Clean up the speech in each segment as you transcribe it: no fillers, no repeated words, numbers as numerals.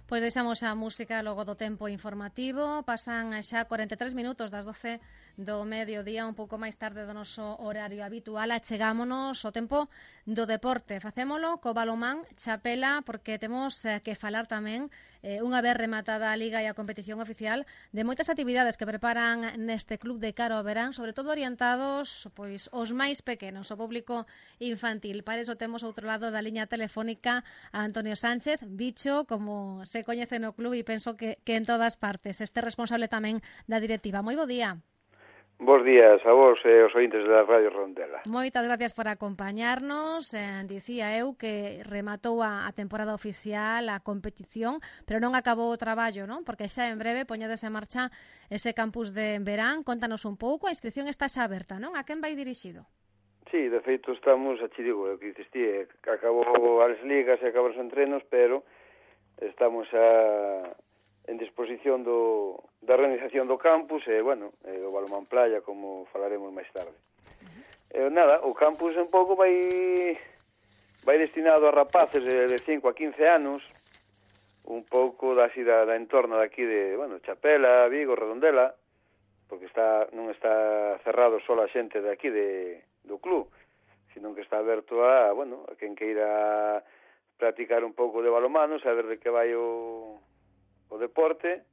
Pois deixamos a música logo do tempo informativo. Pasan xa 43 minutos das 12 do mediodía, un pouco máis tarde do noso horario habitual. Achegámonos ao tempo do deporte. Facémolo co balonmán Chapela, porque temos que falar tamén, unha vez rematada a Liga e a competición oficial, de moitas actividades que preparan neste club de cara ao verán, sobre todo orientados pois aos máis pequenos, ao público infantil. Para iso temos outro lado da liña telefónica a Antonio Sánchez, Bicho, como se coñece no club e penso que en todas partes. Este responsable tamén da directiva. Moi bo día. Bos días a vos e os ointes da Radio Rondela. Moitas gracias por acompañarnos. Dicía eu que rematou a temporada oficial, a competición, pero non acabou o traballo, non? Porque xa en breve poñedes en marcha ese campus de verán. Contanos un pouco, a inscripción está xa aberta, non? A quen vai dirixido? Sí, de feito estamos, a digo, o que diciste, acabou as ligas e acabou os entrenos, pero estamos en disposición da organización do campus e, bueno, o balonmán playa, como falaremos máis tarde. Nada, o campus un pouco vai destinado a rapaces de 5 a 15 anos, un pouco da entorna daqui de, bueno, Chapela, Vigo, Redondela, porque non está cerrado só a xente de aquí do club, sino que está aberto a quen queira practicar un pouco de balonmano, saber de que vai o deporte,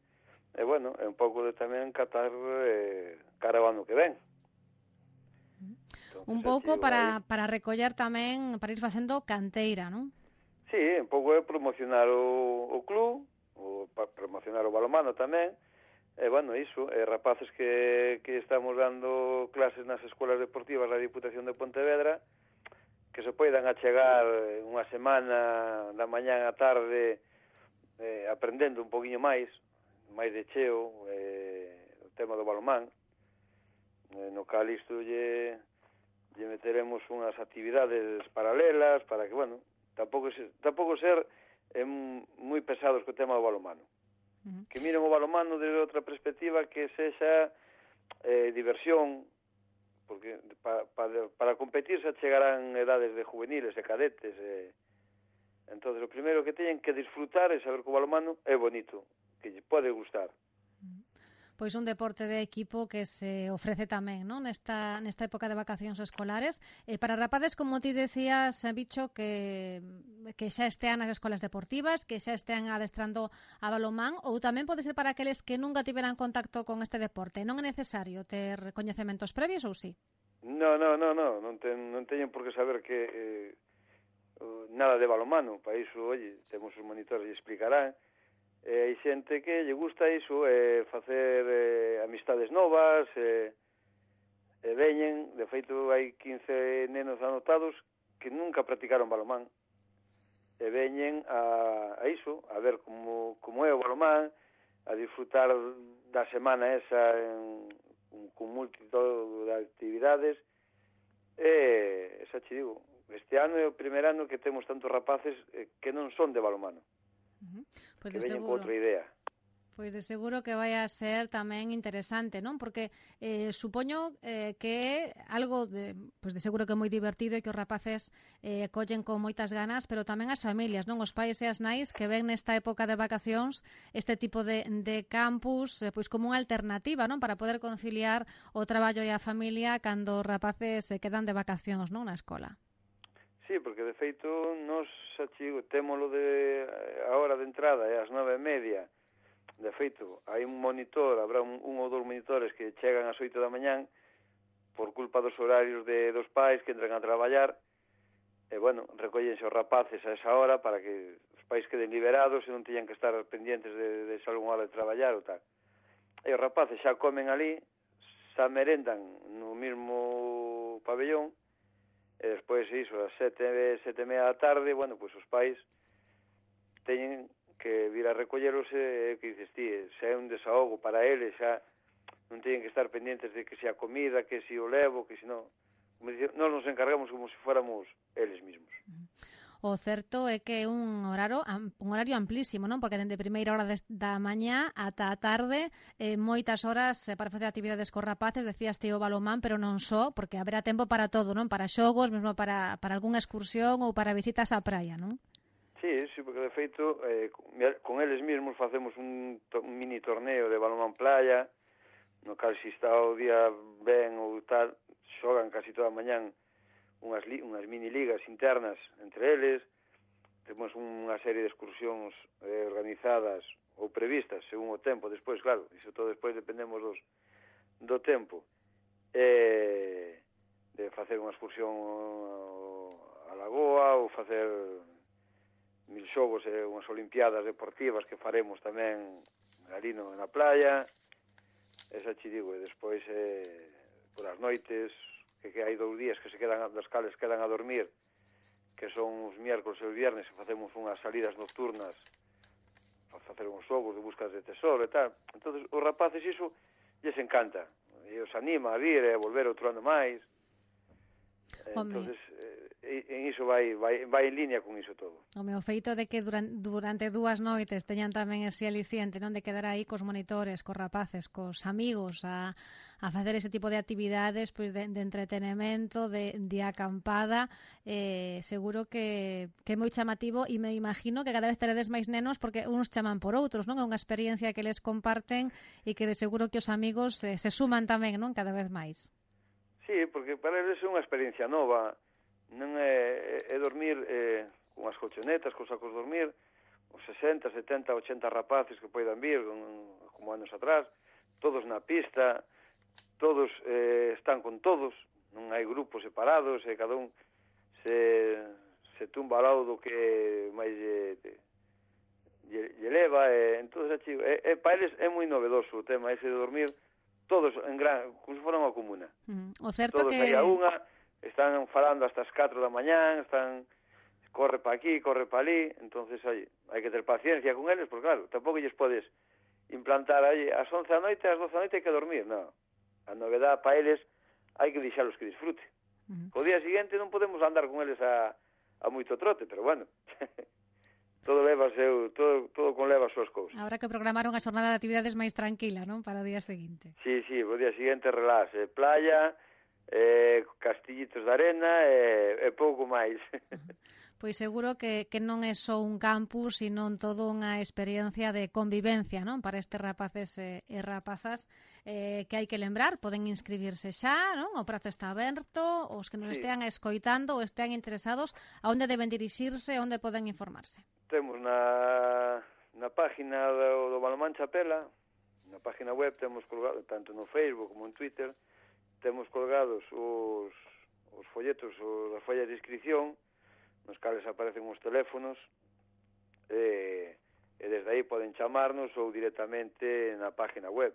e, bueno, é un pouco de tamén catar cara ao ano que ven. Un pouco para recoller tamén, para ir facendo canteira, non? Sí, un pouco é promocionar o club, para promocionar o balonmano tamén, e, bueno, iso, rapaces que estamos dando clases nas escolas deportivas da Diputación de Pontevedra, que se poidan achegar unha semana da mañá á tarde aprendendo un poquinho máis de cheo o tema do balonmán, no cal isto lle meteremos unhas actividades paralelas para que, bueno, tampouco ser moi pesados co tema do balonmano. Que miren o balonmano desde outra perspectiva, que sexa diversión, porque para competir se chegarán edades de juveniles e cadetes, entonces o primeiro que teñen que disfrutar é saber que o balonmano é bonito, que lle pode gustar. Pois un deporte de equipo que se ofrece tamén, non? Nesta época de vacacións escolares. Para rapaces, como ti decías, Bicho, que xa estean nas escolas deportivas, que xa estean adestrando a balonmán, ou tamén pode ser para aqueles que nunca tiveran contacto con este deporte. Non é necesario ter coñecementos previos ou sí? Non teñen por que saber que nada de balonmano. Para iso, oye, temos os monitores e explicarán. Hai xente que lle gusta iso, facer amistades novas, veñen, de feito hai 15 nenos anotados que nunca practicaron balonmán, e veñen a iso, a ver como é o balonmán, a disfrutar da semana esa con multitud de actividades, e xa che digo, este ano é o primer ano que temos tantos rapaces que non son de balonmano. Pois que veñen con outra idea. Pois de seguro que vai a ser tamén interesante, non? Porque supoño que é algo de seguro que é moi divertido e que os rapaces collen con moitas ganas, pero tamén as familias, non? Os pais e as nais que ven nesta época de vacacións este tipo de campus pois como unha alternativa, non? Para poder conciliar o traballo e a familia cando os rapaces se quedan de vacacións, non? Na escola. Sí, porque de feito nos témolo a hora de entrada é ás 9:30. De feito, hai un monitor, habrá un ou dous monitores que chegan ás 8 da mañán por culpa dos horarios dos pais que entran a traballar, e, bueno, recóllense os rapaces a esa hora para que os pais queden liberados e non teñan que estar pendientes de se algún hora de traballar ou tal. E os rapaces xa comen ali, xa merendan no mesmo pabellón, e despois iso, ás 7:30 da tarde, bueno, pois os pais teñen que vir a recolleros que dices ti, xa é un desahogo para eles, xa non teñen que estar pendientes de que se a comida, que se o levo, que se non. Nós nos encargamos como se fóramos eles mesmos. O certo é que é un horario amplísimo, non? Porque dende primeira hora da mañá ata a tarde, moitas horas para facer actividades cos rapaces, decías ti o balonmán, pero non só, porque haberá tempo para todo, non? Para xogos, mesmo para algunha excursión ou para visitas á praia, non? Sí, Sí, porque de feito con eles mesmos facemos un mini torneo de balonmán playa, no cal se está o día ben ou tal, xogan casi toda a mañán unhas mini ligas internas entre eles. Temos unha serie de excursións organizadas ou previstas según o tempo. Despois, claro, iso todo despois dependemos do tempo. De facer unha excursión a Lagoa ou facer 1000 xogos e unhas olimpiadas deportivas que faremos tamén ali na playa. Esa che digo, e despois por as noites que hai 2 días que se quedan, das cales quedan a dormir, que son os miércoles e os viernes, e facemos unhas salidas nocturnas para facer uns xogos de buscas de tesoro e tal. Entonces os rapaces iso lles encanta, e os anima a vir e a volver outro ano máis. Entonces en iso vai en línea con iso todo. O meu feito de que durante 2 noites teñan tamén ese aliciente, non, de quedar aí cos monitores, cos rapaces, cos amigos a facer ese tipo de actividades, pois de entretenimento, de acampada, seguro que é moi chamativo, e me imagino que cada vez teredes máis nenos porque uns chaman por outros, non? É unha experiencia que les comparten e que de seguro que os amigos se suman tamén, non? Cada vez máis. Sí, porque para eles é unha experiencia nova, non é dormir con as colchonetas, con sacos de dormir, os 60, 70, 80 rapaces que poidan vir, como anos atrás, todos na pista, todos están con todos, non hai grupos separados, e cada un se tumba ao lado do que máis lle leva, entón, para eles é moi novedoso o tema ese de dormir todos en gran, como se fora unha comuna. O certo todos que... aí a unha, están falando hasta as 4 da mañán, corre pa aquí, corre pa ali, entonces hai que ter paciencia con eles, porque claro, tampouco lles podes implantar aí ás 11 da noite, ás 12 da noite hai que dormir, non. A novedade pa eles hai que deixalos que disfrute. O día seguinte non podemos andar con eles a moito trote, pero bueno... todo conleva as súas cousas. Habrá que programar unha xornada de actividades máis tranquila, non? Para o día seguinte. Sí, o día seguinte relax, playa, castillitos de arena e pouco máis. Pois seguro que non é só un campus, sino todo unha experiencia de convivencia, non? Para estes rapaces e rapazas que hai que lembrar, poden inscribirse xa, non? O prazo está aberto, os que nos estean escoitando ou estean interesados, a onde deben dirixirse, onde poden informarse? Temos na página do Balonmán Chapela, na página web temos colgado, tanto no Facebook como en Twitter, temos colgados os folletos, as follas de inscripción, nos cales aparecen os teléfonos, e desde aí poden chamarnos ou directamente na página web.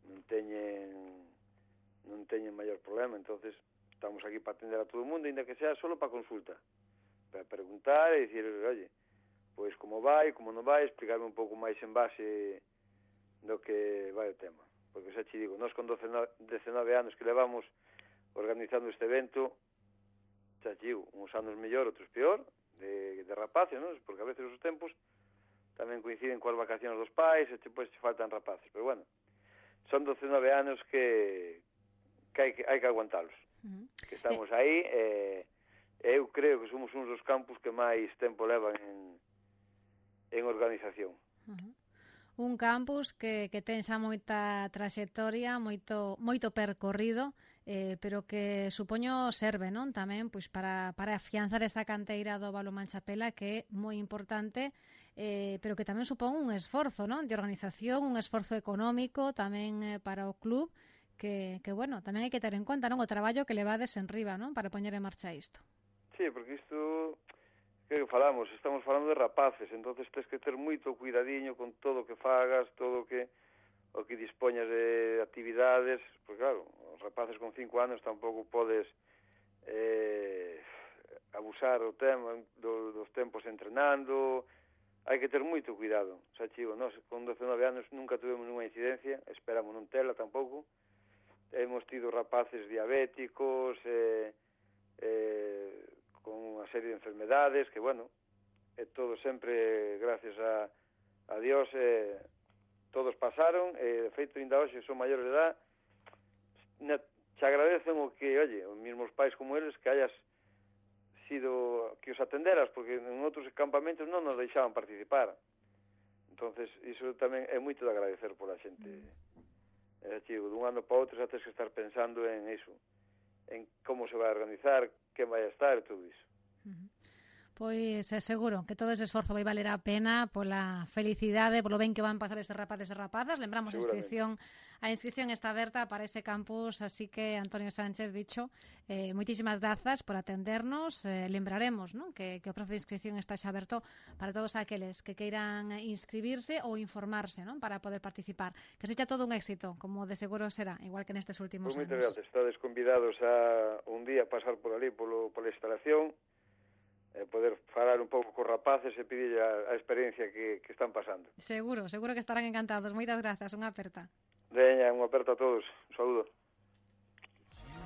Non teñen maior problema, entonces estamos aquí para atender a todo o mundo, ainda que sea solo para consulta, para preguntar e dicir, oye, pois como vai, como non vai, explicarme un pouco máis en base do que vai o tema. Porque xa te digo, nós con 19 anos que levamos organizando este evento, xa te digo, uns anos mellor, outros peor, de rapaces, non? Porque a veces os tempos tamén coinciden coas vacacións dos pais e depois te faltan rapaces. Pero bueno, son 19 anos que hai que aguantalos. Que estamos aí e eu creo que somos uns dos campus que máis tempo levan en organización. Un campus que ten xa moita traxectoria, moito percorrido, pero que supoño serve, non? Tamén pois para afianzar esa canteira do Balonmán Chapela, que é moi importante, pero que tamén supón un esforzo, non? De organización, un esforzo económico tamén para o club, que bueno, tamén hai que ter en conta, non? O traballo que levades en riba, non? Para poñer en marcha isto. Sí, porque isto que estamos falando de rapaces, entonces tens que ter moito cuidadiño con todo o que fagas, todo o que dispoñas de actividades, porque claro, os rapaces con 5 anos tampouco podes abusar o tema dos tempos entrenando, hai que ter moito cuidado. Xa chigo, nós con 19 anos nunca tuvemos nunha incidencia, esperamos non tela tampouco, hemos tido rapaces diabéticos, con unha serie de enfermedades que, bueno, todo sempre gracias a Dios, todos pasaron, de feito, ainda hoxe son maiores de edad, te agradecen o que, oye, os mesmos pais como eles, que hayas sido que os atenderas, porque en outros campamentos non nos deixaban participar. Entonces, iso tamén é moito de agradecer pola xente. Chico, dun ano para outro xa tens que estar pensando en iso, en como se vai a organizar, quen vai a estar e todo iso. Pois é seguro que todo ese esforzo vai valer a pena pola felicidade, polo ben que van pasar eses rapaces e rapazas. Lembramos a inscripción está aberta para ese campus, así que Antonio Sánchez, bicho, moitísimas grazas por atendernos. Lembraremos, ¿no?, que o prazo de inscripción está xa aberto para todos aqueles que queiran inscribirse ou informarse, ¿no?, para poder participar. Que sexa todo un éxito, como de seguro será, igual que nestes últimos anos. Moitas gracias, estades convidados a un día pasar por ali pola instalación, poder falar un pouco cos rapaces e pedir a experiencia que están pasando. Seguro que estarán encantados. Moitas grazas, unha aperta. Veña, unha aperta a todos. Un saúdo.